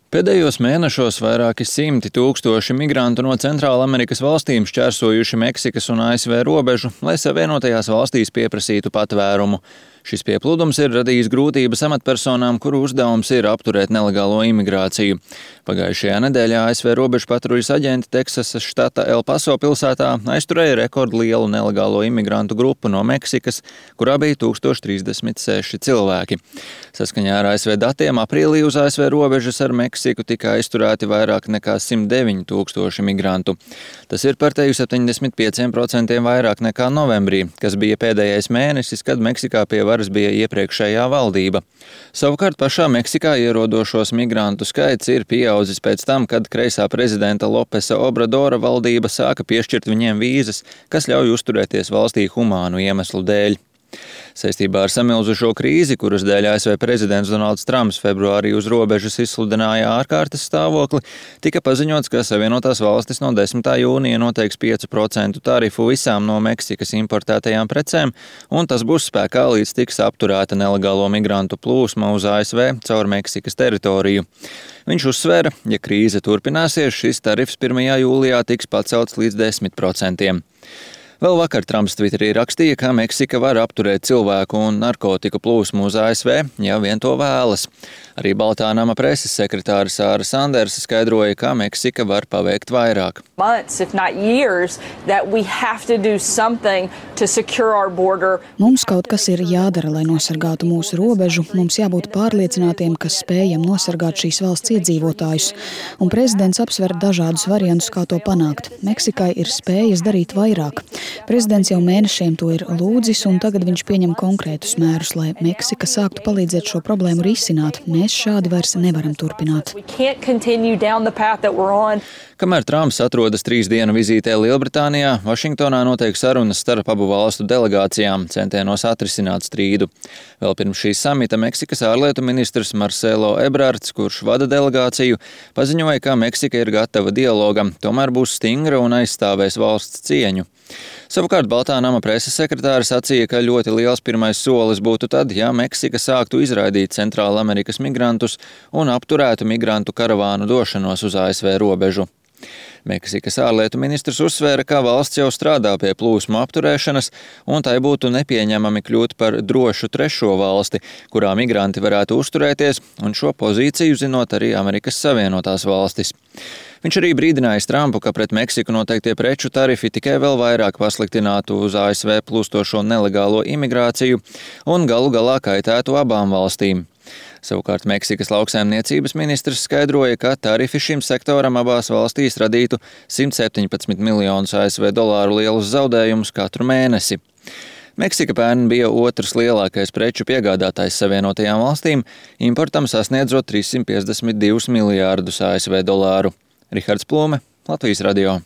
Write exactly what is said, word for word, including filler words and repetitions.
Pēdējos mēnešos vairāki simti tūkstoši migrantu no Centrālamerikas valstīm šķērsojuši Meksikas un A S V robežu, lai Savienotajās valstīs pieprasītu patvērumu. Šis pieplūdums ir radījis grūtības amatpersonām, kuru uzdevums ir apturēt nelegālo imigrāciju. Pagājušajā nedēļā A S V robežu patruļas aģenti Teksasas štata El Paso pilsētā aizturēja rekordlielu nelegālo imigrantu grupu no Meksikas, kurā bija tūkstoš trīsdesmit seši cilvēki. Saskaņā ar A S V datiem aprīlī uz A S V robežas ar Meksiku tika aizturēti vairāk nekā simt deviņi tūkstoši migrantu. Tas ir par teju septiņdesmit pieciem procentiem vairāk nekā novembrī, kas bija pēdējais mēnesis, kad Meksikā pie varas bija iepriekšējā valdība. Savukārt pašā Meksikā ierodošos migrantu skaits ir pieaudzis pēc tam, kad kreisā prezidenta Lopesa Obradora valdība sāka piešķirt viņiem vīzas, kas ļauj uzturēties valstī humānu iemeslu dēļ. Saistībā ar samilzušo krīzi, kuras dēļ A S V prezidents Donalds Trumps februārī uz robežas izsludināja ārkārtas stāvokli, tika paziņots, ka Savienotās valstis no desmitā jūnija noteiks piecu procentu tarifu visām no Meksikas importētajām precēm, un tas būs spēkā līdz tiks apturēta nelegālo migrantu plūsma uz A S V caur Meksikas teritoriju. Viņš uzsvēra, ja krīze turpināsies, šis tarifs pirmajā jūlijā tiks pacelts līdz desmit procentiem. Vēl vakar Trumps Twitterī rakstīja, ka Meksika var apturēt cilvēku un narkotiku plūsmu uz A S V, ja vien to vēlas. Arī Baltā nama preses sekretāra Sāra Sandersa skaidroja, ka Meksika var paveikt vairāk. Months, if not years, that we have to do something to secure our border. Mums kaut kas ir jādara, lai nosargātu mūsu robežu. Mums jābūt pārliecinātiem, ka spējam nosargāt šīs valsts iedzīvotājus. Un prezidents apsver dažādus variantus, kā to panākt. Meksikai ir spējas darīt vairāk. Prezidents jau mēnešiem to ir lūdzis, un tagad viņš pieņem konkrētus mērus, lai Meksika sāktu palīdzēt šo problēmu risināt. Mēs šādi vairs nevaram turpināt. Kamēr Trumps atrodas trīs dienu vizītē Lielbritānijā, Vašingtonā notiek sarunas starp abu valstu delegācijām, centienos atrisināt strīdu. Vēl pirms šī samita Meksikas ārlietu ministrs Marcelo Ebrards, kurš vada delegāciju, paziņoja, ka Meksika ir gatava dialogam, tomēr būs stingra un aizstāvēs valsts cieņu. Savukārt Baltā nama preses sekretāra sacīja, ka ļoti liels pirmais solis būtu tad, ja Meksika sāktu izraidīt Centrālamerikas migrantus un apturētu migrantu karavānu došanos uz A S V robežu. Meksikas ārlietu ministrs uzsvēra, ka valsts jau strādā pie plūsmu apturēšanas, un tai būtu nepieņemami kļūt par drošu trešo valsti, kurā migranti varētu uzturēties, un šo pozīciju zinot arī Amerikas Savienotās valstis. Viņš arī brīdinājis Trumpu, ka pret Meksiku noteiktie preču tarifi tikai vēl vairāk pasliktinātu uz A S V plūstošo nelegālo imigrāciju un galu galā kaitētu abām valstīm. Savukārt Meksikas lauksaimniecības ministrs skaidroja, ka tarifi šim sektoram abās valstīs radītu simt septiņpadsmit miljonus A S V dolāru lielus zaudējumus katru mēnesi. Meksika pērn bija otrs lielākais preču piegādātājs Savienotajām valstīm, importam sasniedzot trīssimt piecdesmit divus miljārdus A S V dolāru. Rihards Plūme, Latvijas radio.